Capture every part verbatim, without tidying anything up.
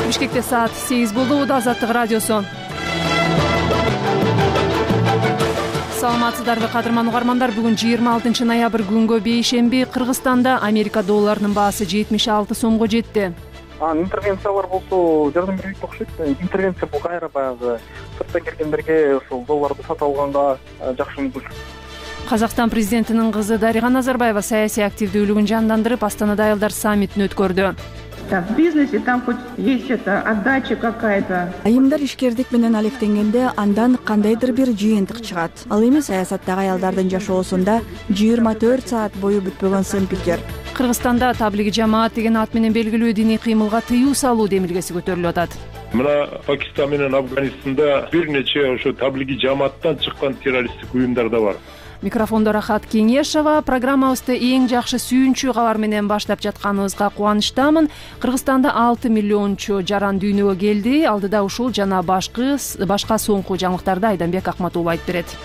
Бишкекте саат сегиз болду. Азаттык радиосу. Саламатсыздарбы кадырман угармандар. Бүгүн жыйырма алтынчы ноябрь күнгө бейшемби. Кыргызстанда Америка долларынын баасы жетимиш алты сомго жетти. Интервенциялар болсо жардам бербейт окшойт. Интервенция бул кайра баягы сырттан келгендерге ушул долларды сатып алганга жакшы мүмкүнчүлүк. Казакстан президентинин кызы Дарига Назарбаева саясий активдүүлүгүн жандандырып, Астанада аялдар саммитин өткөрдү. В бизнесе там хоть есть это отдача какая-то. Айымдар ишкердик менен алектенгенде андан кандайдыр бир жыйынтык чыгат. Ал эми саясаттагы аялдардын жашоосунда жыйырма төрт саат бою бүтпөгөн сын пикир. Кыргызстанда таблиги жамаат деген ат менен белгилүү диний кыймылга тыюу салуу демилгеси көтөрүлүп атат. Мына Пакистан менен Афганистанда бир нече ошо таблиги жамааттан чыккан террористтик уюмдар да бар. Микрофондо Рахат Кеңешова. Программабызды эң жакшы сүйүнчү кабар менен баштап жатканыбызга кубанычтамын. Кыргызстанда алты миллиончу жаран дүйнөгө келди. Алдыда ушул жана башкы башка соңку жаңылыктарды Айданбек Акматулов айтып берет.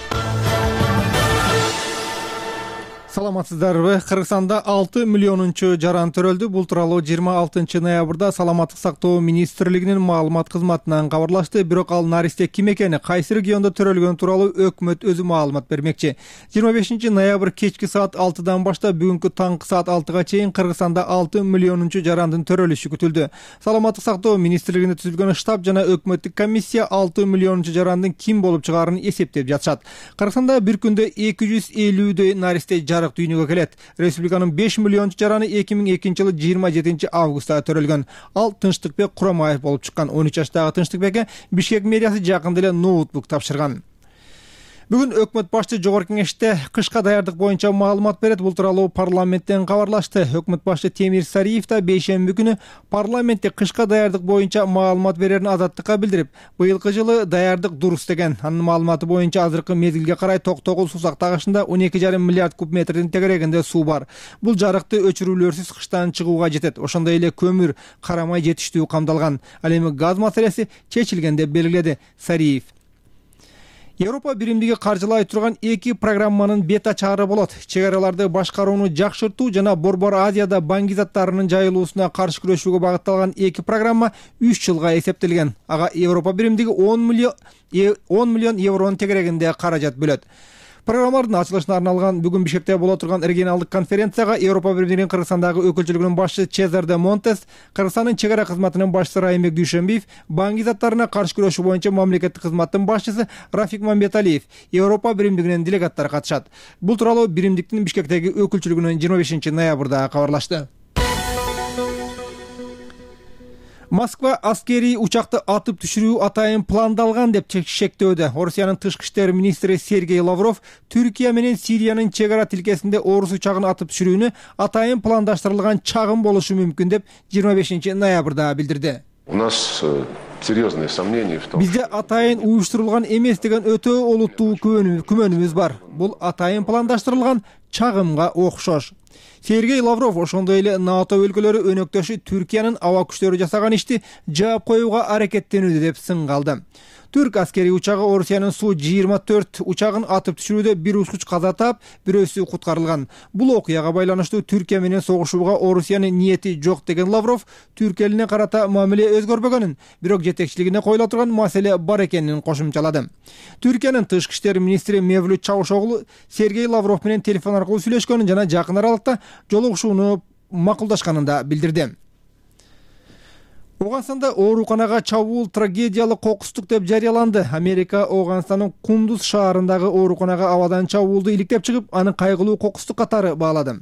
Саламатсыздарбы? Кыргызстанда алты миллионунчу жаран төрөлдү. Бул тууралуу жыйырма алтынчы ноябрда Саламаттык сактоо министрлигинин маалымат кызматынан кабарлашты. Бирок ал наристе ким экени, кайсы региондо төрөлгөнү тууралуу өкмөт өзү маалымат бермекчи. жыйырма бешинчи ноябрь кечки саат алтыдан баштап бүгүнкү таңкы саат алтыга чейин Кыргызстанда алты миллионунчу жарандын төрөлүшү күтүлдү. Саламаттык сактоо министрлигинде түзүлгөн штаб жана өкмөттүк комиссия алты миллионунчу жарандын ким болуп чыгаарын эсептеп жатышат. Кыргызстанда бир күндө эки жүз элүүдөй наристе дүйнөгө келет. Республиканын беш миллиончу жараны эки миң экинчи жылы жыйырма жетинчи августта төрөлгөн. Ал Тынчтыкбек Курамаев болуп чыккан. он үч жаштагы Тынчтыкбекке Бишкек мэриясы жакында эле ноутбук тапшырган. Бүгүн өкмөт башчы жогорку кеңеште кышка даярдык боюнча маалымат берет. Бул тууралуу парламенттен кабарлашты. Өкмөт башчы Темир Сариев да бейшемби күнү парламентте кышка даярдык боюнча маалымат берерин Азаттыкка билдирип, быйылкы жылы даярдык дурус деген. Анын маалыматы боюнча азыркы мезгилге карай Токтогул суу тагышында он эки жарым миллиард куб метрдин тегерегинде суу бар. Бул жарыкты өчүрүүлөрсүз кыштан чыгууга жетет. Ошондой эле көмүр, карамай жетиштүү камдалган. Ал эми газ маселеси чечилген деп белгиледи Сариев. Европа биримдиги каржылай турган эки программанын бет ачаары болот. Чек араларды башкарууну жакшыртуу жана Борбор Азияда банги заттарынын жайылуусуна каршы күрөшүүгө багытталган эки программа үч жылга эсептелген. Ага Европа биримдиги он миллион евронун тегерегинде каражат бөлөт. Программалардын ачылышына арналган бүгүн Бишкекте боло турган регионалдык конференцияга Европа биримдигинин Кыргызстандагы өкүлчүлүгүнүн башчысы Чезар де Монтес, Кыргызстандын чек ара кызматынын башчысы Райымбек Дүйшөнбиев, банги заттарына каршы күрөшүү боюнча мамлекеттик кызматтын башчысы Рафик Мамбеталиев, Европа биримдигинин делегаттары катышат. Бул тууралуу биримдиктин Бишкектеги өкүлчүлүгүнүн жыйырма бешинчи ноябрда кабарлашты. Москва аскерий учакты атып түшүрүү атайын пландалган деп шектөөдө. Орусиянын тышкы иштер министри Сергей Лавров Түркия менен Сириянын чек ара тилкесинде орус учагын атып түшүрүүнү атайын пландаштырылган чагым болушу мүмкүн деп жыйырма бешинчи ноябрда билдирди. У нас серьезные сомнения в том. Бизде атайын уюштурулган эмес деген өтө олуттуу күмөнүбүз бар. Бул атайын пландаштырылган чагымга окшош. Сергей Лавров ошондой эле НАТО өлкөлөрү өнөктөшү Түркиянын аба күчтөрү жасаган ишти жаап коюуга аракеттенүүдө деп сын калды. Түрк аскерий учагы Орусиянын Су жыйырма төрт учагын атып түшүрүүдө бир учкуч каза таап, бирөөсү куткарылган. Бул окуяга байланыштуу Түркия менен согушууга Орусиянын ниети жок деген Лавров Түрк элине карата мамиле өзгөрбөгөнүн, бирок жетекчилигине коюла турган маселе бар экенин кошумчалады. Түркиянын тышкы иштер министри Мевлют Чавушоглу Сергей Лавров менен телефон аркылуу сүйлөшкөнүн жана жакын аралыкта жолугушууну макулдашканын да билдирди. Оганстанда ооруканага чабуул трагедиялык кокустук деп жарыяланды. Америка Оганстандын Кундуз шаарындагы ооруканага абадан чабуулду иликтеп чыгып, аны кайгылуу кокустук катары баалады.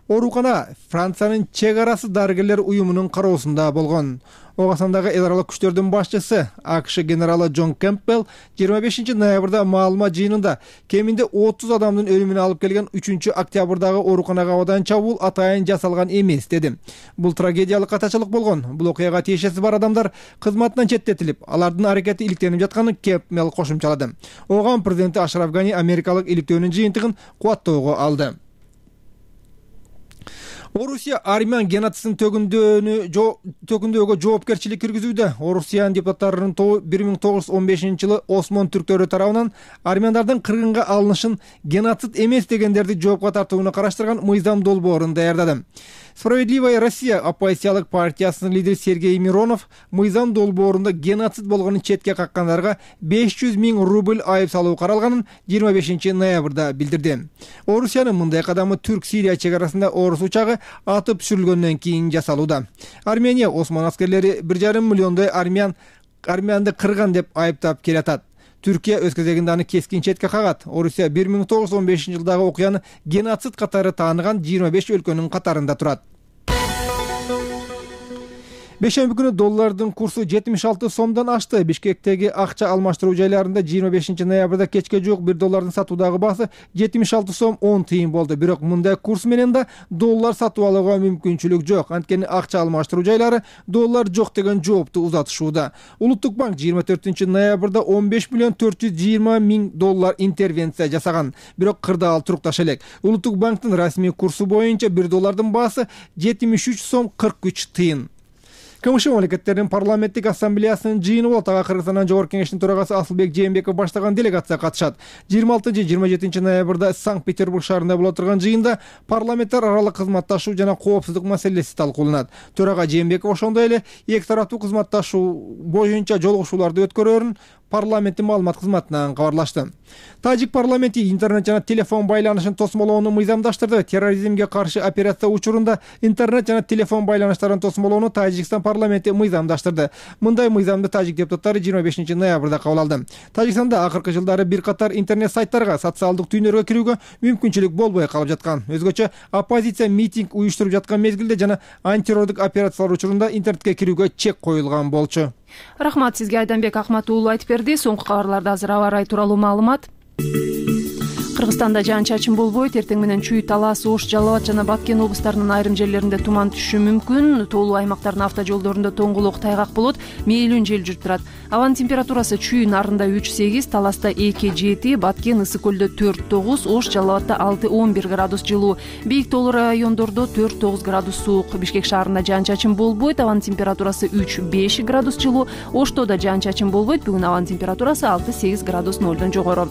Оорукана Франциянын чек арасы дарыгерлер уюмунун кароосунда болгон. Оганстандагы эл аралык күчтөрдүн башчысы АКШ генералы Джон Кэмпбелл жыйырма бешинчи ноябрда маалымат жыйынында кеминде отуз адамдын өлүмүнө алып келген үчүнчү октябрдагы ооруканага абадан чабуул атайын жасалган эмес деди. Бул трагедиялык катачылык болгон. Бул окуяга тиешеси бар адамдар кызматынан четтетилип, алардын аракети иликтенип жатканын Кэмпбелл кошумчалады. Оган президенти Ашраф Гани америкалык иликтөөнүн жыйынтыгын кубаттоого алды. Орусия армян геноцидин төгүндөөгө жоопкерчилик киргизүүдө. Орусиянын депутаттарынын тобу бир миң тогуз жүз он бешинчи жылы Осмон түрктөрү тарабынан армяндардын кыргынга алынышын геноцид эмес дегендерди жоопко тартууну караштырган мыйзам долбоорун даярдады. Справедливая Россия оппозициялык партиясынын лидери Сергей Миронов мыйзам долбоорунда геноцид болгонун четке каккандарга беш жүз миң рубль айып салуу каралганын жыйырма бешинчи ноябрда билдирди. Орусиянын мындай кадамы Түрк-Сирия чек арасында орус учагы атып түшүрүлгөндөн кийин жасалууда. Армения Осман аскерлери бир жарым миллиондой армян армянды кырган деп айыптап келатат. Түркия өз кезегинде аны кескин четке кагат. Орусия бир миң тогуз жүз он бешинчи жылдагы окуяны геноцид катары тааныган жыйырма беш өлкөнүн катарында турат. Бешемби күнү доллардын курсу жетимиш алты сомдон ашты. Бишкектеги акча алмаштыруу жайларында жыйырма бешинчи ноябрда кечке жок бир доллардын сатуудагы баасы жетимиш алты сом он тыйын болду. Бирок мындай курс менен да доллар сатып алууга мүмкүнчүлүк жок. Анткени акча алмаштыруу жайлары доллар жок деген жоопту узатышууда. Улуттук банк жыйырма төртүнчү ноябрда он беш миллион төрт жүз жыйырма миң доллар интервенция жасаган. Бирок кырдаал ал турукташа элек. Улуттук банктын расмий курсу боюнча бир доллардын баасы жетимиш үч сом кырк үч тыйын. КМШ мамлекеттеринин парламенттик ассамблеясынын жыйыны болот. Ага Кыргызстандын жогорку кеңештин төрагасы Асылбек Жээнбеков баштаган делегация катышат. жыйырма алтынчы жыйырма жетинчи ноябрда Санкт-Петербург шаарында боло турган жыйында парламенттер аралык кызматташуу жана коопсуздук маселеси талкууланат. Төрага Жээнбеков ошондой эле эки тараптуу кызматташуу боюнча жолугушууларды өткөрөөрүн парламенттин маалымат кызматынан кабарлашты. Тажик парламенти интернет жана телефон байланышын тосмолоону мыйзамдаштырды. Терроризмге каршы операция учурунда интернет жана телефон байланыштарын тосмолоону Тажикстан парламенти мыйзамдаштырды. Мындай мыйзамды тажик депутаттары жыйырма бешинчи ноябрда кабыл алды. Тажикстанда акыркы жылдары бир катар интернет сайттарга, социалдык түйнөргө кирүүгө мүмкүнчүлүк болбой калып жаткан. Өзгөчө оппозиция митинг уюштуруп жаткан мезгилде жана антитеррорлук операциялар учурунда интернетке кирүүгө чек коюлган болчу. Рахмат сизге, Айданбек Акмат уулу айтып берди. Соңку кабарларда азыр аба ырайы тууралуу маалымат. Кыргызстанда жаан-чачын болбойт. Эртең менен Чүй, Талас, Ош, Жалал абад жана Баткен облустарынын айрым жерлеринде туман түшүшү мүмкүн. Тоолуу аймактардын автожолдорунда тоңгулук, тайгак болот. Мейлүүн жел жүрүп турат. Абанын температурасы Чүй нарында үч сегиз, Таласта эки жети, Баткен, Ысык көлдө төрт тогуз, Ош, Жалал абадта алты он бир градус жылуу. Бийик тоолуу райондордо төрт тогуз градус суук. Бишкек шаарында жаан-чачын болбойт. Абанын температурасы үч беш градус жылуу. Ошто да жаан-чачын болбойт. Бүгүн абанын температурасы алты сегиз градус нолдон жогору.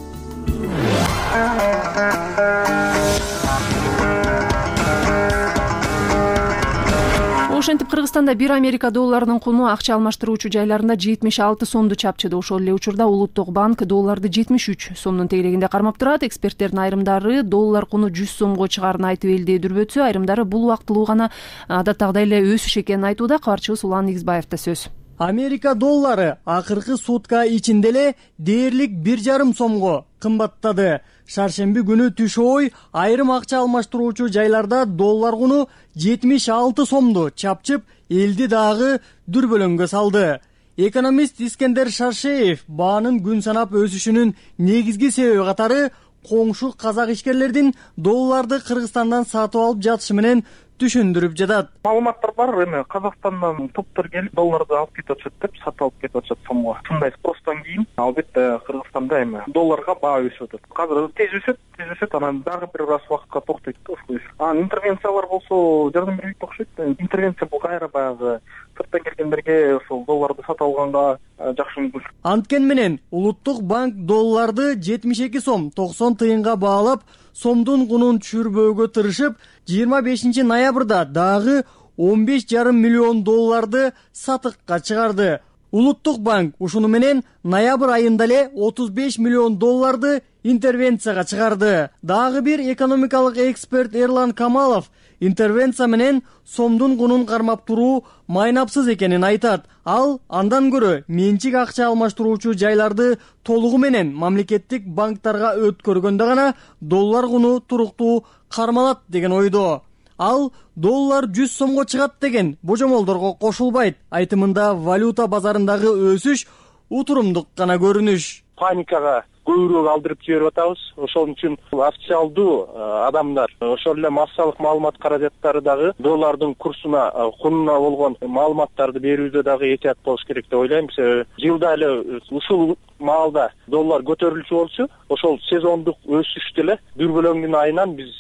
Ошентип Кыргызстанда бир Америка долларынын куну акча алмаштыруучу жайларында жетимиш алты сомду чапчыды. Ошол эле учурда Улуттук банк долларды жетимиш үч сомдун тегерегинде кармап турат. Эксперттердин айрымдары доллар куну жүз сомго чыгаарын айтып элдедирбөтсө, айрымдары бул убактылуу гана адаттагыдай эле өсүш экенин айтууда. Кабарчыбыз Улан Нигизбаевда сөз. Америка доллары акыркы сутка ичинде эле дээрлик бир жарым сомго кымбаттады. Шаршемби күнү түш ой айрым акча алмаштыруучу жайларда доллар куну жетимиш алты сомду чапчып, элди дагы дүрбөлөңгө салды. Экономист Искендер Шаршеев баанын күн санап өсүшүнүн негизги себеби катары коңшу казак ишкерлердин долларды Кыргызстандан сатып алып жатышы менен түшүндүрүп жатат. Маалыматтар бар, эми Казакстандан топтор келип долларды алып кетип атышат деп, сатып алып кетип атышат сомго. Шундай спростон кийин албетте Кыргызстанда эми долларга баа өсүп атат. Азыр тез өсөт, тез өсөт, анан дагы бир аз убакытка токтойт да ушул. Анан интервенциялар болсо жардам бербейт окшойт. Интервенция бул кайра баягы сырттан келгендерге ошол долларды сатып алганга жакшы мүмкүн. Анткен менен Улуттук банк долларды жетимиш эки сом токсон тыйынга баалап, сомдун кунун түшүрбөөгө тырышып, жыйырма бешинчи ноябрда дагы он беш жарым миллион долларды сатыкка чыгарды. Улуттук банк ушуну менен ноябрь айында эле отуз беш миллион долларды интервенцияга чыгарды. Дагы бир экономикалык эксперт Эрлан Камалов интервенция менен сомдун кунун кармап туруу майнапсыз экенин айтат. Ал андан көрө менчик акча алмаштыруучу жайларды толугу менен мамлекеттик банктарга өткөргөндө гана доллар куну туруктуу кармалат деген ойдо. Ал доллар жүз сомго чыгат деген божомолдорго кошулбайт. Айтымында валюта базарындагы өсүш утурумдук гана көрүнүш. Паникага көбүрөөк алдырып жиберип атабыз. Ошол үчүн официалдуу адамдар, ошол эле массалык маалымат каражаттары дагы доллардын курсуна, кунуна болгон маалыматтарды берүүдө дагы этият болуш керек деп ойлойм. Жылда эле ушул маалда доллар көтөрүлчү болчу, ошол сезондук өсүштү эле дүрбөлөңдүн айынан биз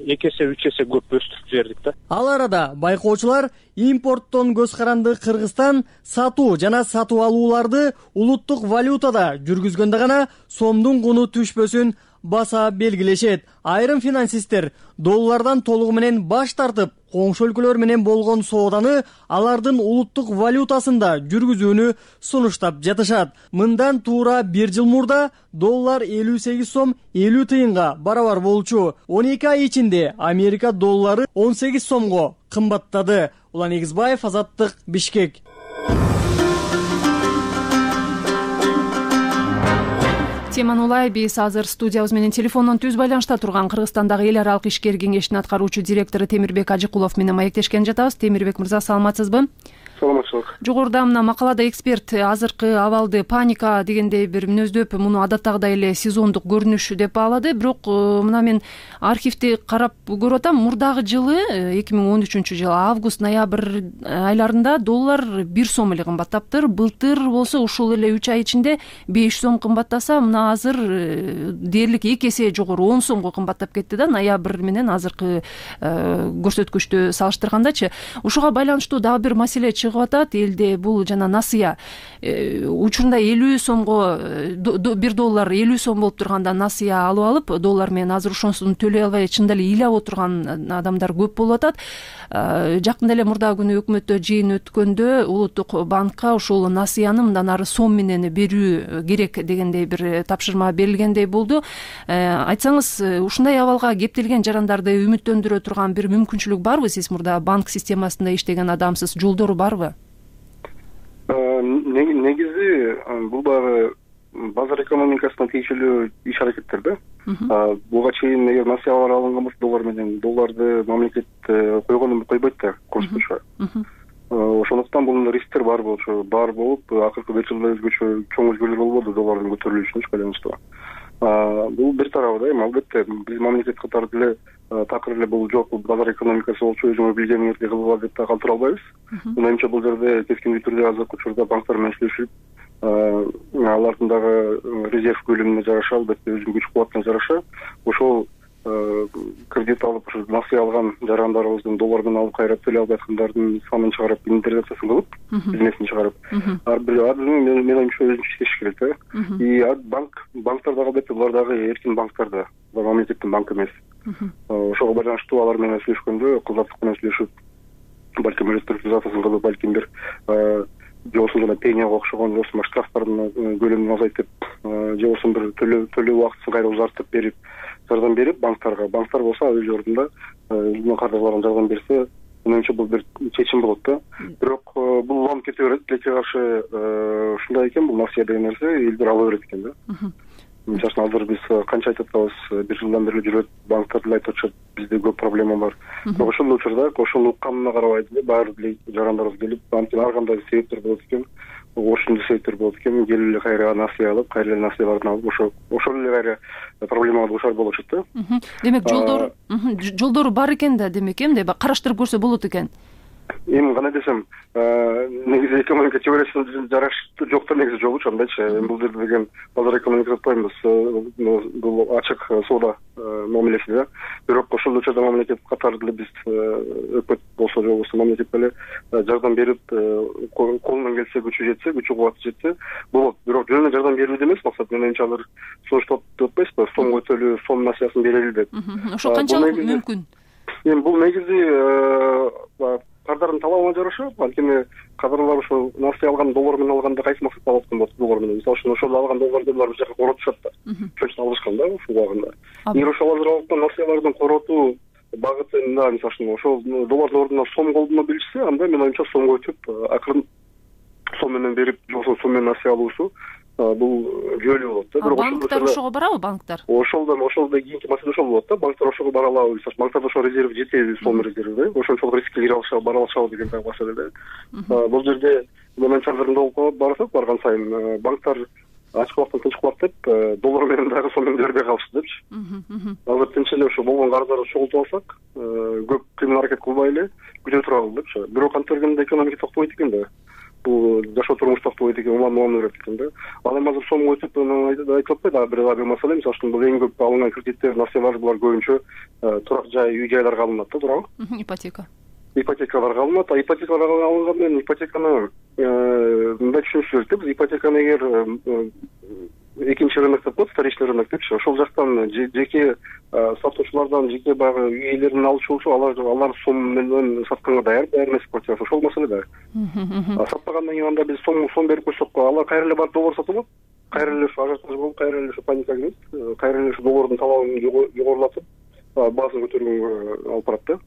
эки эсе үч эсе көп өстүрүп жибердик да. Ал арада байкоочулар импорттон көз каранды Кыргызстан сатуу жана сатып алууларды улуттук валютада жүргүзгөндө гана сомдун куну түшпөсүн баса белгилешет. Айрым финансисттер доллардан толугу менен баш тартып, коңшу өлкөлөр менен болгон сооданы алардын улуттук валютасында жүргүзүүнү сунуштап жатышат. Мындан туура бир жыл мурда доллар элүү сегиз сом элүү тыйынга барабар болчу. он эки ай ичинде Америка доллары он сегиз сомго кымбаттады. Улан Эгизбаев, Азаттык, Бишкек. Теманы улай биз азыр студиябыз менен телефондон түз байланышта турган Кыргызстандагы эл аралык ишкер кеңешинин аткаруучу директору Темирбек Ажыкулов менен маектешкен жатабыз. Темирбек мырза, саламатсызбы? Саламатчылык. Жогоруда мына макалада эксперт азыркы абалды паника дегендей бир мүнөздөп, муну адаттагыдай эле сезондук көрүнүш деп баалады. Бирок мына мен архивди карап көрүп атам, мурдагы жылы эки миң он үчүнчү жылы август ноябрь айларында доллар бир сом эле кымбаттаптыр. Былтыр болсо ушул эле үч ай ичинде беш сом кымбаттаса, мына азыр дээрлик эки эсе жогору он сомго кымбаттап кетти да, ноябрь менен азыркы көрсөткүчтү салыштыргандачы. Ушуга байланыштуу дагы бир маселе чыгып атат. Элде бул жана насыя учурунда элүү сомго бир доллар элүү сом болуп турганда насыя алып алып, доллар менен азыр ошонусун төлөй албай чындап эле ыйлап отурган адамдар көп болуп атат. Жакында эле мурдагы күнү өкмөттө жыйын өткөндө улуттук банкка ушул насыяны мындан ары сом менен берүү керек дегендей бир тапшырма берилгендей болду. Айтсаңыз, ушундай абалга кептелген жарандарды үмүттөндүрө турган бир мүмкүнчүлүк барбы? Сиз мурда банк системасында иштеген адамсыз, жолдору барбы? Негизи бул дагы базар экономикасына тийиштүү иш аракеттер да. Буга чейин эгер насыялар алынган болсо доллар менен, долларды мамлекет койгону койбойт да курс боюнча. Ошондуктан бул рисктер бар болчу, бар болуп, акыркы беш жылда өзгөчө чоң өзгөрүүлөр болбоду доллардын көтөрүлүшүнө байланыштуу. Бул бир тарабы да, эми албетте биз мамлекет катары деле такыр эле бул жок, базар экономикасы болчу, өзүңөр билгениңизди кылгыла деп да калтыра албайбыз. Менимче бул жерде кескиндүү түрдө азыркы учурда банктар менен иштешип, алардын дагы резерв көлөмүнө жараша, албетте өзүнүн күч кубатына жараша ошол кредит алып, ушу насыя алган жарандарыбыздын доллар менен алып кайра төлөй албай аткандардын санын чыгарып, инвентаризациясын кылып, бизнесин чыгарып, ар бир мен оюмча өзүнчө иштеш керек да. И банк, банктар дагы албетте булар дагы эркин банктар да, булар мамлекеттин банкы эмес. Ошого байланыштуу алар менен сүйлөшкөндө, кылдаттык менен сүйлөшүп, балким реструктуризациясын кылып, балким бир же болбосо жана пенияга окшогон, же болбосо штрафтардын көлөмүн азайтып, же болбосо бир төлөө убактысын кайра узартып берип, жардам берип банктарга, банктар болсо өз ордунда өзүнүн кардарларын жардам берсе, менимче бул бир чечим болот да. Бирок бул уланып кете берет, тилекке каршы ушундай экен, бул насыя деген нерсе элдер ала берет экен да. Мисалы азыр биз канча айтып атабыз, бир жылдан бери жүрөт, банктар деле айтып атышат, бизде көп проблема бар. Бирок ошол учурда ошону укканына карабай деле баары деле жарандарыбыз келип, анткени ар кандай себептер болот экен, ошондой себептер болот экен, келип эле кайра насыя алып, кайра эле насыяларын алып, ошо ошол эле кайра проблемага дуушар болушат да. Демек жолдору жолдору бар экен да, демек эмне караштырып көрсө болот экен. Эми кандай десем, негизи экономика теориясында жараштуу жок да, негизи жолучу андайчы. Бул жерде деген базар экономикасы атпайбыз, бул ачык соода мамилеси да. Бирок ошол учурда мамлекет катары деле биз өкмөт болсо же болбосо мамлекет деле жардам берип, колунан келсе, күчү жетсе, күчү кубаты жетсе болот. Бирок жөн эле жардам берүүдө эмес, максат менимче алар сунуштап деп атпайсызбы, сомго төлөө, сом насыясын берели деп. Ошо канчалык мүмкүн? Эми бул негизи кардардын талабына жараша, анткени кадрлар ошо насыя алган доллар менен алганда кайсы максатта алып аткан болот доллар менен. Мисалы үчүн ошол алган долларды булар бир жака коротушат да. Ошон үчүн алышкан да ушул убагында. Эгер ошол азыр алган насыялардын коротуу багытында, мисалы үчүн ошол доллардын ордуна сом колдоно билишсе, анда мен оюмча сомго өтүп, акырын сом менен берип, же болбосо сом менен насыя алуусу бул жөлү болот да. Бирок банктар ошого барабы, банктар? Ошолдон ошолдо кийинки маселе ошол болот да. Банктар ошого бара алабы, банктарда ошо резерв жетеби, сом резерви да. Ошончолук рискке кире алышабы, бара алышабы деген дагы маселе да. Бул жерде мен чагырында болуп барсак, барган сайын банктар ачык убактан тынч кылат деп, доллар менен дагы сом менен бербей калышты депчи. Азыр тынч эле ошо болгон карыздарды чогултуп алсак, көп кыймыл аракет кылбай эле күтө туралы депчи. Бирок антергенде экономика токтобойт экен да. Бул жашоо турмуш токтобойт экен, улам улам берет экен да. Ал эми азыр сомго өтүп айтып атпайт, а бир бир маселе, мисалы үчүн бул эң көп алынган кредиттер, насыялар булар көбүнчө турак жай, үй жайларга алынат да, туурабы? Ипотека. Ипотекаларга алынат, а ипотекаларга алынган менен ипотеканы мындай түшүнүш керек да, биз ипотеканы эгер экинчи рынок деп коет, вторичный рынок депчи. Ошол жактан жеке сатуучулардан, жеке баягы үй ээлеринен алчу болчу, алар алар сом менен сатканга даяр даяр эмес квартирасы. Ошол маселе да. Сатпагандан кийин анда биз сом сом берип койсок, алар кайра эле барып доллар сатып алат. Кайра эле ажиотаж болуп, кайра эле паника кирет. Кайра эле доллардын талабын жогорулатып, баасын көтөргөнгө алып барат да.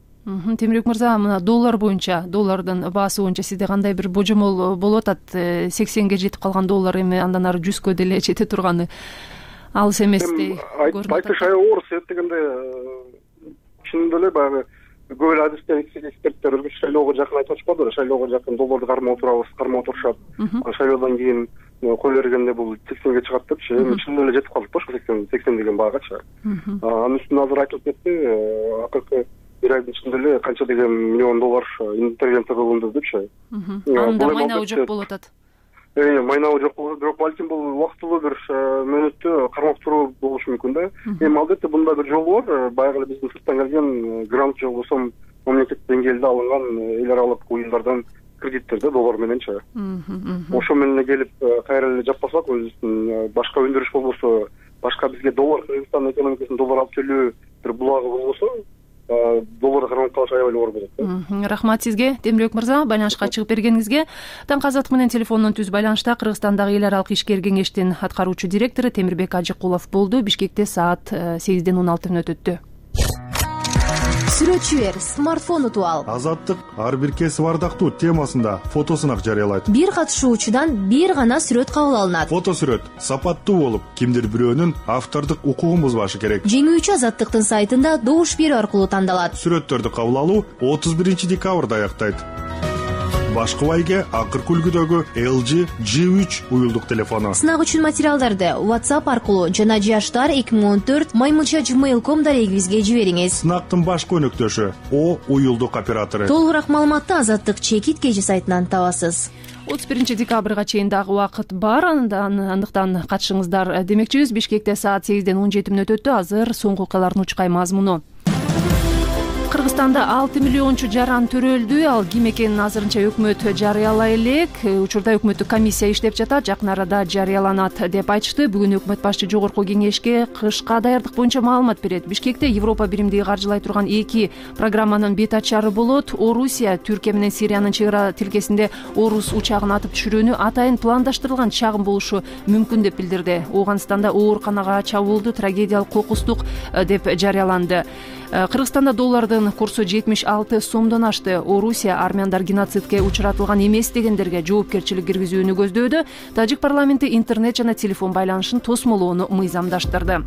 Темирбек мырза, мына доллар боюнча, доллардын баасы боюнча сизде кандай бир божомол болуп атат? сексенге жетип калган доллар эми андан ары жүзгө деле жете турганы алыс эместей көрүнүп атат. Айтыш оор себеп дегенде чынында эле баягы көп эле адистер, эксперттер өзгөчө шайлоого жакын айтып атышпадыбы? Шайлоого жакын долларды кармап отурабыз, кармап отурушат. Шайлоодон кийин кой бергенде бул сексенге чыгат депчи. Эми чын эле жетип калдык да ошо сексен сексен деген баагачы. Анын үстүнө азыр айтылып кетти, акыркы бир айдын ичинде эле канча деген миллион доллар интервенция кылынды депчи. Анда майнабы жок болуп атат. Э, майнабы жок болот, бирок балким бул убактылуу бир мөөнөттө кармап туруу болушу мүмкүн да. Эми албетте мында бир жол бар, баягы эле биздин сырттан келген грант же болбосо мамлекет деңгээлде алынган эл аралык уюмдардан кредиттерде доллар мененчи. Ошо менен келип кайра эле жаппасак, өзүбүздүн башка өндүрүш болбосо, башка бизге доллар, Кыргызстандын экономикасына доллар алып келүү бир булагы болбосо, доллар кармап калыш аябай оор болот. Рахмат сизге, Темирбек мырза, байланышка чыгып бергениңизге. Таңкы азаттык менен телефондон түз байланышта Кыргызстандагы эл аралык ишкер кеңештин аткаруучу директору Темирбек Ажыкулов болду. Бишкекте саат сегизден он алты мүнөт өттү. Сүрөтчү бер, смартфон утуп ал. Азаттык ар бир кесип ардактуу темасында фотосунак жарыялайт. Бир катышуучудан бир гана сүрөт кабыл алынат. Фото сүрөт сапаттуу болуп, кимдир бирөөнүн автордук укугун бузбашы керек. Жеңүүчү Азаттыктын сайтында добуш берүү аркылуу тандалат. Сүрөттөрдү кабыл алуу отуз биринчи декабрда аяктайт. Башкы байге акыркы үлгүдөгү эл джи джи үч уюлдук телефону. Сынак үчүн материалдарды WhatsApp аркылуу жана жаштар эки миң он төрт маймылча gmail точка ком дарегибизге жибериңиз. Сынактын башкы өнөктөшү О уюлдук оператору. Толугураак маалыматты Азаттык чекит кежи сайтынан табасыз. отуз биринчи декабрга чейин дагы убакыт бар, андан андыктан катышыңыздар демекчибиз. Бишкекте саат сегизден он жети мүнөт өттү. Азыр соңку окуялардын учкай мазмуну. Кыргызстанда алты миллиончу жаран төрөлдү. Ал ким экенин азырынча өкмөт жарыялай элек. Учурда өкмөттүк комиссия иштеп жатат, жакын арада жарыяланат деп айтышты. Бүгүн өкмөт башчы жогорку кеңешке кышка даярдык боюнча маалымат берет. Бишкекте Европа биримдиги каржылай турган эки программанын бет ачары болот. Орусия Түркия менен Сириянын чек ара тилкесинде орус учагын атып түшүрүүнү атайын пландаштырылган чагым болушу мүмкүн деп билдирди. Ооганстанда ооруканага чабуулду трагедиялык кокустук деп жарыяланды. Кыргызстанда доллардын курсу жетимиш алты сомдон ашты. Орусия армяндар геноцидке учуратылган эмес дегендерге жоопкерчилик киргизүүнү көздөөдө. Тажик парламенти интернет жана телефон байланышын тосмолоону мыйзамдаштырды.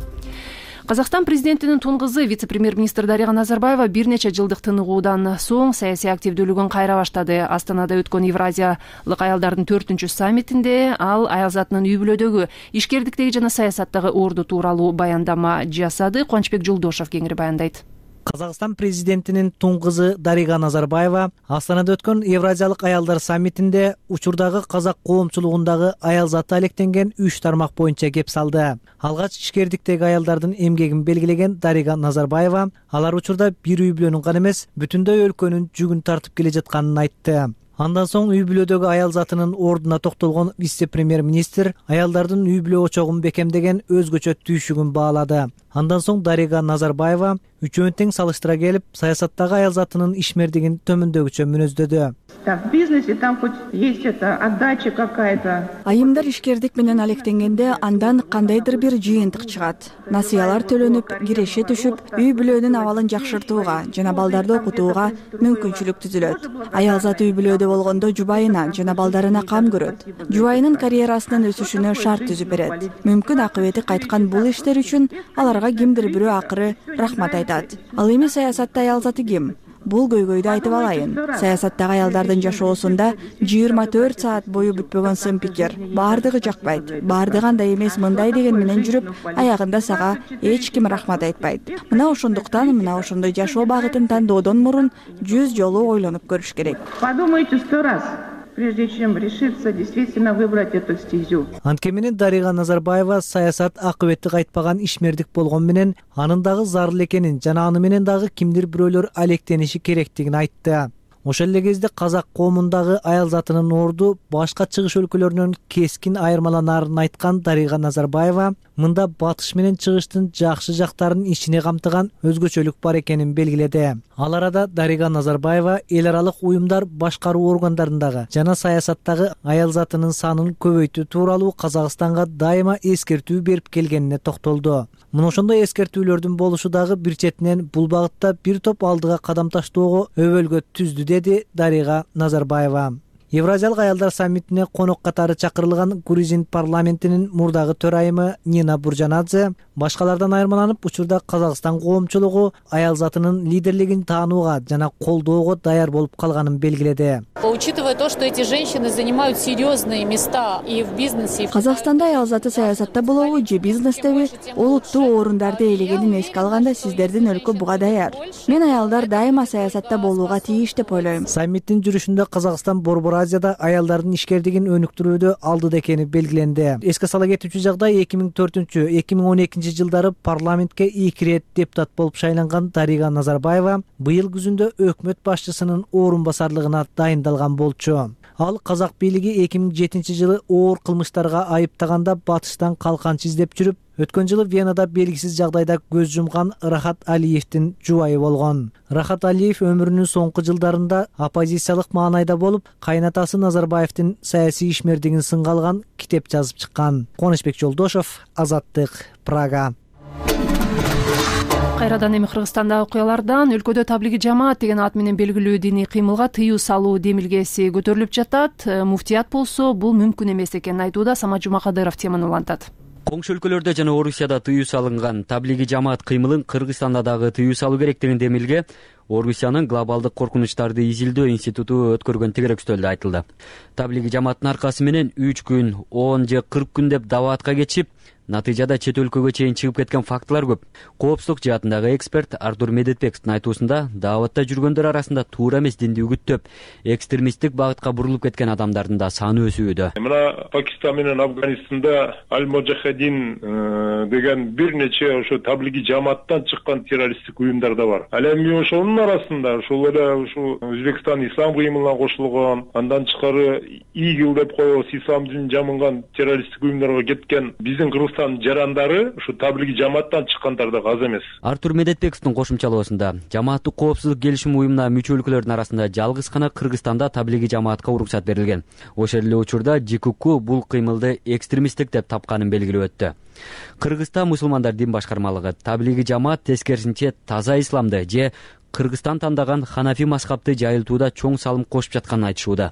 Казакстан президентинин тун кызы вице-премьер-министр Дарига Назарбаева бир нече жылдык тыныгуудан соң саясий активдүүлүгүн кайра баштады. Астанада өткөн Евразиялык аялдардын төртүнчү саммитинде ал аялзатынын үй бүлөдөгү ишкердиктеги жана саясаттагы орду тууралуу баяндама жасады. Кубанычбек Жолдошов кеңири баяндайт. Казакстан президентинин тун кызы Дарига Назарбаева Астанада өткөн Евразиялык аялдар саммитинде учурдагы казак коомчулугундагы аялзаты алектенген үч тармак боюнча кеп салды. Алгач ишкердиктеги аялдардын эмгегин белгилеген Дарига Назарбаева алар учурда бир үй бүлөнүн гана эмес, бүтүндөй өлкөнүн жүгүн тартып келе жатканын айтты. Андан соң үй бүлөдөгү аялзатынын ордуна токтолгон вице-премьер-министр аялдардын үй бүлө очогун бекемдеген өзгөчө түйшүгүн баалады. Андан соң Дарига Назарбаева үчөөнүн тең салыштыра келип, саясаттагы аялзатынын ишмердигин төмөндөгүчө мүнөздөдү. В бизнесе там хоть есть это отдача какая-то. Айымдар ишкердик менен алектенгенде андан кандайдыр бир жыйынтык чыгат. Насыялар төлөнүп, киреше түшүп, үй бүлөнүн абалын жакшыртууга жана балдарды окутууга мүмкүнчүлүк түзүлөт. Аялзат үй бүлөдө болгондо жубайына жана балдарына кам көрөт. Жубайынын карьерасынын өсүшүнө шарт түзүп берет. Мүмкүн акыбети кайткан бул иштер үчүн аларга кимдир бирөө акыры рахмат айтат. Ал эми саясатта аялзаты ким? Бул көйгөйдү айтып алайын. Саясаттагы аялдардын жашоосунда жыйырма төрт саат бою бүтпөгөн сын пикир. Баардыгы жакпайт. Баардыгы андай эмес, мындай деген менен жүрүп, аягында сага эч ким рахмат айтпайт. Мына ошондуктан мына ошондой жашоо багытын тандоодон мурун жүз жолу ойлонуп көрүш керек. Подумайте сто раз, прежде чем решиться действительно выбрать эту стезю. Анткени менен Дарига Назарбаева саясат акыбети кайтпаган ишмердик болгон менен анын дагы зарыл экенин жана аны менен дагы кимдир бирөөлөр алектениши керектигин айтты. ошол эле кезде казак коомундагы аял затынын орду башка чыгыш өлкөлөрүнөн кескин айырмаланаарын айткан Дарига Назарбаева мында батыш менен чыгыштын жакшы жактарын ичине камтыган өзгөчөлүк бар экенин белгиледи. Ал арада Дарига Назарбаева эл аралык уюмдар башкаруу органдарындагы жана саясаттагы аял затынын санын көбөйтүү тууралуу Казакстанга дайыма эскертүү берип келгенине токтолду. Мына ошондой эскертүүлөрдүн болушу дагы бир четинен бул багытта бир топ алдыга кадам таштоого өбөлгө түздү, деди Дарига Назарбаева. Евразиялык аялдар саммитине конок катары чакырылган Грузин парламентинин мурдагы төрайымы Нина Буржанадзе башкалардан айырмаланып учурда Казакстан коомчулугу аял затынын лидерлигин таанууга жана колдоого даяр болуп калганын белгиледи. Учитывая то, что эти женщины занимают серьезные места и в бизнесе. Казакстанда аял заты саясатта болобу же бизнестеби олуттуу орундарды ээлегенин эске алганда сиздердин өлкө буга даяр. Мен аялдар дайыма саясатта болууга тийиш деп ойлойм. Саммиттин жүрүшүндө Казакстан Борбор Азияда аялдардын ишкердигин өнүктүрүүдө алдыда экени белгиленди. Эске сала кетүүчү жагдай эки миң төртүнчү эки миң он экинчи жылдары парламентке эки ирет депутат болуп шайланган Дарига Назарбаева быйыл күзүндө өкмөт башчысынын орун басарлыгына дайындалган болчу. Ал казак бийлиги эки миң жетинчи жылы оор кылмыштарга айыптаганда батыштан калканчы издеп жүрүп, өткөн жылы Венада белгисиз жагдайда көз жумган Рахат Алиевдин жубайы болгон. Рахат Алиев өмүрүнүн соңку жылдарында оппозициялык маанайда болуп, кайнатасы Назарбаевдин саясий ишмердигин сынга алган китеп жазып чыккан. Коношбек Жолдошов, Азаттык, Прага. Кайрадан эми Кыргызстандагы окуялардан өлкөдө таблиги жамаат деген ат менен белгилүү диний кыймылга тыюу салуу демилгеси көтөрүлүп жатат. Муфтият болсо бул мүмкүн эмес экенин айтууда. Самат Жумакадыров теманы улантат. Коңшу өлкөлөрдө жана Орусияда тыюу салынган таблиги жамаат кыймылын Кыргызстанда дагы тыюу салуу керек деген демилге Орусиянын глобалдык коркунучтарды изилдөө институту өткөргөн тегеректөөлдө айтылды. Таблиги жамааттын аркасы менен үч күн, он же кырк күн деп даваатка кетишип, натыйжада чет өлкөгө чейин чыгып кеткен фактылар көп. Коопсуздук жаатындагы эксперт Артур Медетбековдун айтуусунда дааватта жүргөндөр арасында туура эмес динди үгүттөп, экстремисттик багытка бурулуп кеткен адамдардын да саны өсүүдө. Мына Пакистан менен Афганистанда Аль-Моджахедин деген бир нече ошо таблиги жамааттан чыккан террористтик уюмдар да бар. Ал эми ошонун арасында ушул эле ушу Өзбекстан ислам кыймылына кошулган, андан тышкары ИГИЛ деп коебуз, ислам динин жамынган террористтик уюмдарга кеткен биздин Кыргызстан жарандары ушу таблиги жамааттан чыккандар да аз эмес. Артур Медетбековдун кошумчалоосунда жамааттык коопсуздук келишим уюмуна мүчө өлкөлөрдүн арасында жалгыз гана Кыргызстанда таблиги жамаатка уруксат берилген. Ошол эле учурда ЖКК бул кыймылды экстремисттик деп тапканын белгилеп өттү. Кыргызстан мусулмандар дин башкармалыгы таблиги жамаат тескерисинче таза исламды же Кыргызстан тандаган ханафи мазхабты жайылтууда чоң салым кошуп жатканын айтышууда.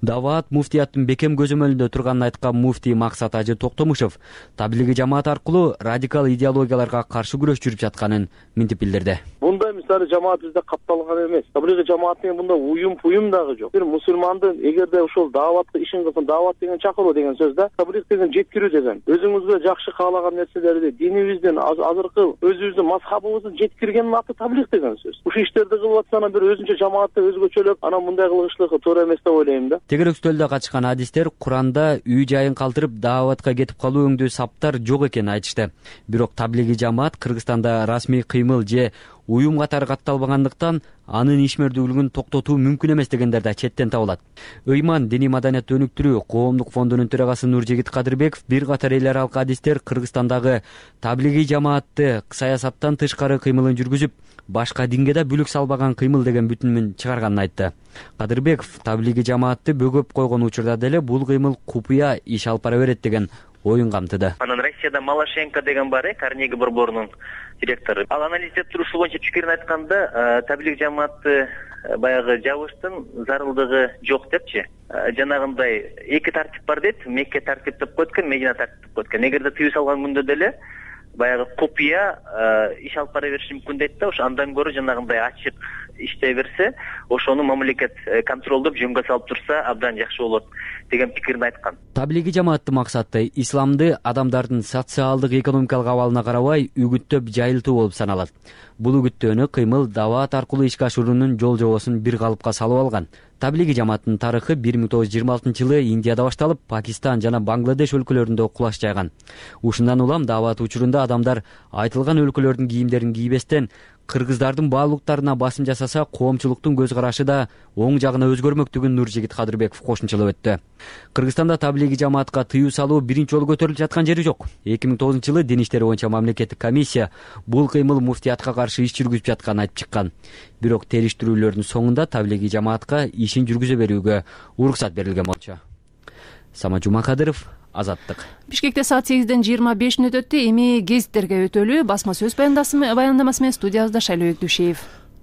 Даваат муфтияттын бекем көзөмөлүндө турганын айткан муфтий Максат Ажы Токтомушев таблиги жамаат аркылуу радикал идеологияларга каршы күрөш жүрүп жатканын минтип билдирди. Мындай мисалы жамаат бизде капталган эмес. Таблиги жамаат менен мында уюм уюм дагы жок. Бир мусулмандын эгерде ошол дааватка ишин кылсын, даават деген чакыруу деген сөз да, таблиг деген жеткирүү деген. Өзүңүзгө жакшы каалаган нерселерди, динибиздин, азыркы өзүбүздүн мазхабыбыздын жеткиргендин аты таблиг деген сөз. Ушул иштерди кылып атсана бир өзүнчө жамаатты өзгөчөлөп, анан мындай кылышлыгы туура эмес деп ойлойм да. Тегерек үстөлдө качкан адистер Куранда үй жайын калтырып дааватка кетип калуу өңдүү саптар жок экенин айтышты. Бирок таблиги жамаат Кыргызстанда расмий кыймыл же уюм катары катталбагандыктан анын ишмердүүлүгүн токтотуу мүмкүн эмес дегендер да четтен табылат. Ыйман диний маданиятты өнүктүрүү коомдук фондунун төрагасы Нуржигит Кадырбеков бир катар эл аралык адистер Кыргызстандагы таблиги жамаатты саясаттан тышкары кыймылын жүргүзүп, башка динге да бүлүк салбаган кыймыл деген бүтүнүн чыгарганын айтты. Кадырбеков таблиги жамаатты бөгөп койгон учурда деле бул кыймыл купуя иш алып бара берет деген оюн камтыды. Анан Россияда Малашенко деген бар, э, Карнеги борборунун директору. Ал анализдеп турушу боюнча пикирин айтканда, таблиг жамаатты баягы жабыштын зарылдыгы жок депчи. Жанагындай эки тартип бар дейт, Мекке тартип деп койт экен, Медина тартип деп койт экен. Эгерде тыюу салган күндө деле баягы купуя иш алып бара бериши мүмкүн дейт да, ошо андан көрө жанагындай ачык иштей берсе, ошону мамлекет контролдоп жөнгө салып турса абдан жакшы болот деген пикирин айткан. Таблиги жамааттын максаты исламды адамдардын социалдык экономикалык абалына карабай үгүттөп жайылтуу болуп саналат. Бул үгүттөөнү кыймыл даваат аркылуу ишке ашыруунун жол жобосун бир калыпка салып алган. Таблиги жамааттын тарыхы бир миң тогуз жүз жыйырма алтынчы жылы Индияда башталып, Пакистан жана Бангладеш өлкөлөрүндө кулаш жайган. Ушундан улам даваат учурунда адамдар айтылган өлкөлөрдүн кийимдерин кийбестен кыргыздардын баалуулуктарына басым жасаса коомчулуктун көз карашы да оң жагына өзгөрмөктүгүн Нуржигит Кадырбеков кошумчалап өттү. Кыргызстанда таблиги жамаатка тыюу салуу биринчи жолу көтөрүлүп жаткан жери жок. эки миң тогузунчу жылы дин иштери боюнча мамлекеттик комиссия бул кыймыл муфтиятка каршы иш жүргүзүп жатканын айтып чыккан. Бирок териштирүүлөрдүн соңунда таблиги жамаатка ишин жүргүзө берүүгө уруксат берилген болчу. Самат Жумакадыров, Азаттык. Бишкекте саат сегизден жыйырма беш мүнөт өттү. Эми гезиттерге өтөлү. Басма сөз баяндамасы менен студиябызда Шайлообек Дүйшеев.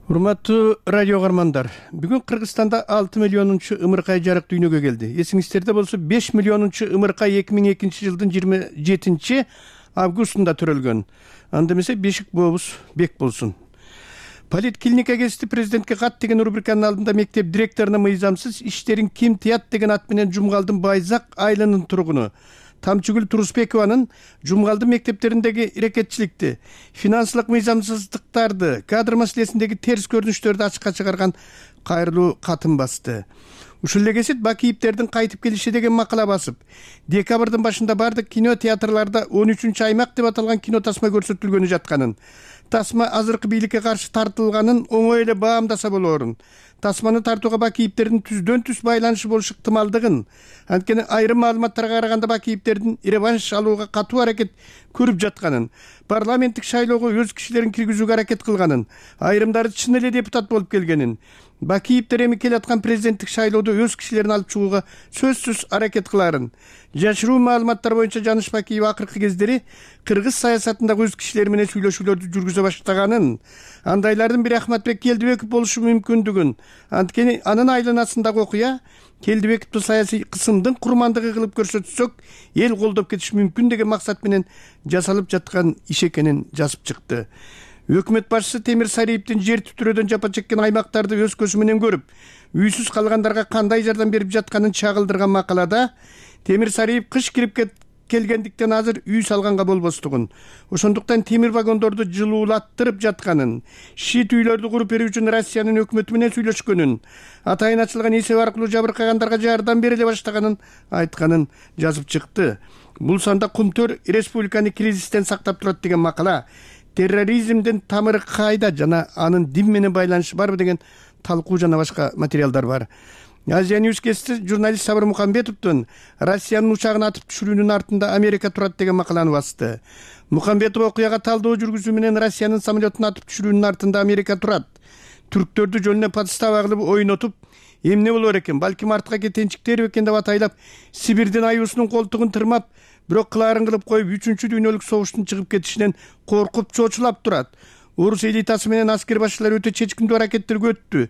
Урматтуу радио каармандар, бүгүн Кыргызстанда алты миллионунчу ымыркай жарык дүйнөгө келди. Эсиңиздерде болсо беш миллионунчу ымыркай эки миң экинчи жылдын жыйырма жетинчи августунда төрөлгөн. Анда эмесе бешик бообуз бек болсун. Политклиника гезити президентке кат деген рубриканын алдында мектеп директоруна мыйзамсыз иштерин ким тыят деген ат менен Жумгалдын Байзак айылынын тургуну Тамчыгүл Турусбекованын Жумгалдын мектептериндеги ирекетчиликти, финансылык мыйзамсыздыктарды, кадр маселесиндеги терс көрүнүштөрдү ачыкка чыгарган кайрылуу катын басты. Ушул эле гезит Бакиевдердин кайтып келиши деген макала басып, декабрдын башында бардык кино театрларда он үчүнчү аймак деп аталган кино тасма көрсөтүлгөнү жатканын, тасма азыркы бийликке каршы тартылганын оңой эле баамдаса болоорун, тасманы тартууга Бакиевдердин түздөн түз байланышы болушу ыктымалдыгын, анткени айрым маалыматтарга караганда Бакиевдердин реванш алууга катуу аракет көрүп жатканын, парламенттик шайлоого өз кишилерин киргизүүгө аракет кылганын, айрымдары чын эле депутат болуп келгенин, Бакиевдер эми келаткан президенттик шайлоодо өз кишилерин алып чыгууга сөзсүз аракет кыларын. Жашыруу маалыматтар боюнча Жаныш Бакиев акыркы кездери кыргыз саясатындагы өз кишилери менен сүйлөшүүлөрдү жүргүзө баштаганын, андайлардын бири Ахматбек Келдибеков болушу мүмкүндүгүн, анткени анын айланасындагы окуя Келдибековду саясий кысымдын курмандыгы кылып көрсөтсөк, эл колдоп кетиш мүмкүн деген максат менен жасалып жаткан иш экенин жазып чыкты. Өкмөт башчысы Темир Сариевдин жер түтүрөөдөн жапа чеккен аймактарды өз көзү менен көрүп, үйсүз калгандарга кандай жардам берип жатканын чагылдырган макалада Темир Сариев кыш кирип келгендиктен азыр үй салганга болбостугун, ошондуктан темир вагондорду жылуулаттырып жатканын, шит үйлөрдү куруп берүү үчүн Россиянын өкмөтү менен сүйлөшкөнүн, атайын ачылган эсеп аркылуу жабыркагандарга жардам бериле баштаганын айтканын жазып чыкты. Бул санда Кумтөр республиканы кризистен сактап турат деген макала, терроризмдин тамыры кайда жана анын дин менен байланышы барбы деген талкуу жана башка материалдар бар. Азия Ньюс гезити журналист Сабыр Мухамбетовдун Россиянын учагын атып түшүрүүнүн артында Америка турат деген макаланы басты. Мухамбетов окуяга талдоо жүргүзүү менен Россиянын самолетун атып түшүрүүнүн артында Америка турат, түрктөрдү жөнүнө подстава кылып ойнотуп, эмне болор экен, балким артка кетенчиктер экен деп атайлап, Сибирдин аюусунун колтугун тырмап, бирок кылаарын кылып коюп үчүнчү дүйнөлүк согуштун чыгып кетишинен коркуп чочулап турат. Орус элитасы менен аскер башчылары өтө чечкиндүү аракеттерге өттү.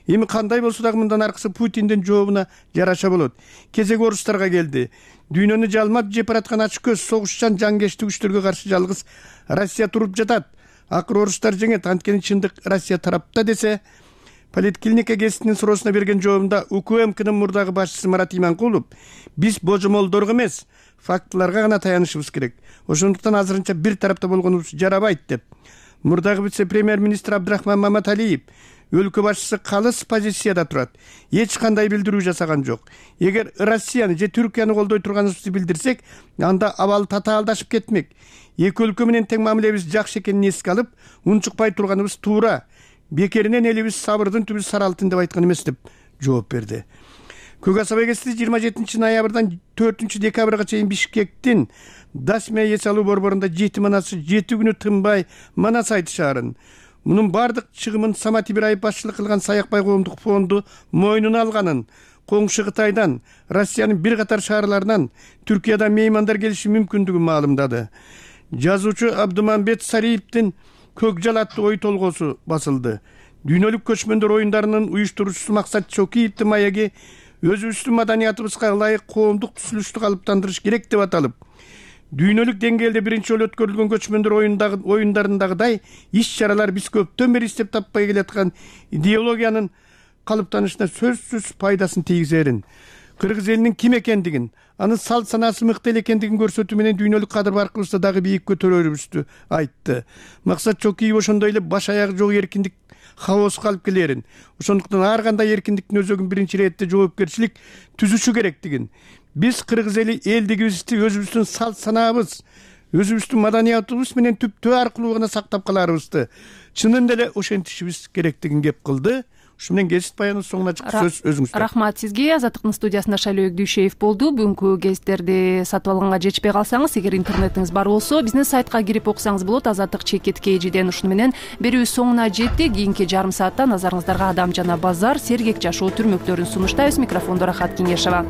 Эми кандай болсо дагы мындан аркысы Путиндин жообуна жараша болот. Кезек орустарга келди. Дүйнөнү жалмап жеп бараткан ачык көз согушчан жангечти күчтөргө каршы жалгыз Россия туруп жатат. Акыры орустар жеңет, анткени чындык Россия тарапта десе, Политклиника гезитинин суроосуна берген жообунда УКМКнын мурдагы башчысы Марат Иманкулов биз божомолдорго эмес, фактыларга гана таянышыбыз керек. Ошондуктан азырынча бир тарапта болгонубуз жарабайт деп. Мурдагы вице-премьер-министр Абдрахман Маматалиев өлкө башчысы калыс позицияда турат. Эч кандай билдирүү жасаган жок. Эгер Россияны же Түркияны колдой турганыбызды билдирсек, анда абал татаалдашып кетмек. Эки өлкө менен тең мамилебиз жакшы экенин эске алып, унчукпай турганыбыз туура. Бекеринен элибиз сабырдын түбү сары алтын деп айткан эмес деп жооп берди. Көк Асаба гезити жыйырма жетинчи ноябрдан төртүнчү декабрга чейин Бишкектин Дасмия эс алуу борборунда жети манасы жети күнү тынбай манас айтышаарын. Мунун бардык чыгымын Самат Ибраев башчылык кылган Саякбай коомдук фонду мойнуна алганын, коңшу Кытайдан, Россиянын бир катар шаарларынан Түркиядан меймандар келиши мүмкүндүгүн маалымдады. Жазуучу Абдымамбет Сариевдин Көк жал аттуу ой толгоосу басылды. Дүйнөлүк көчмөндөр оюндарынын уюштуруучусу Максат Чокиевдин маеги өзүбүздүн маданиятыбызга ылайык коомдук түзүлүштү калыптандырыш керек деп аталып, дүйнөлүк деңгээлде биринчи жолу өткөрүлгөн көчмөндөр оюндарындагыдай иш-чаралар биз көптөн бери издеп таппай келаткан идеологиянын калыптанышына сөзсүз пайдасын тийгизерин, кыргыз элинин ким экендигин, анын салт санаасы мыкты эле экендигин көрсөтүү менен дүйнөлүк кадыр баркыбызды дагы бийик көтөрөрүбүздү айтты. Максат Чокиев ошондой эле баш аягы жок эркиндик хаоско алып келерин, ошондуктан ар кандай эркиндиктин өзөгүн биринчи иретте жоопкерчилик түзүшү керектигин, биз кыргыз эли элдигибизди, өзүбүздүн салт санаабыз, өзүбүздүн маданиятыбыз менен түптөө аркылуу гана сактап калаарыбызды чынында эле ошентишибиз керектигин кеп кылды. Ушу менен гезит баянынын соңуна чыкты. Сөз өзүңүздө. Рахмат сизге. Азаттыктын студиясында Шайлообек Дүйшеев болду. Бүгүнкү гезиттерди сатып алганга жетишпей калсаңыз, эгер интернетиңиз бар болсо, биздин сайтка кирип окусаңыз болот. Азаттык чекит kgден. Ушуну менен берүүбүз соңуна жетти. Кийинки жарым саатта назарыңыздарга Адам жана базар, сергек жашоо түрмөктөрүн сунуштайбыз. Микрофондо Рахат Кеңешова.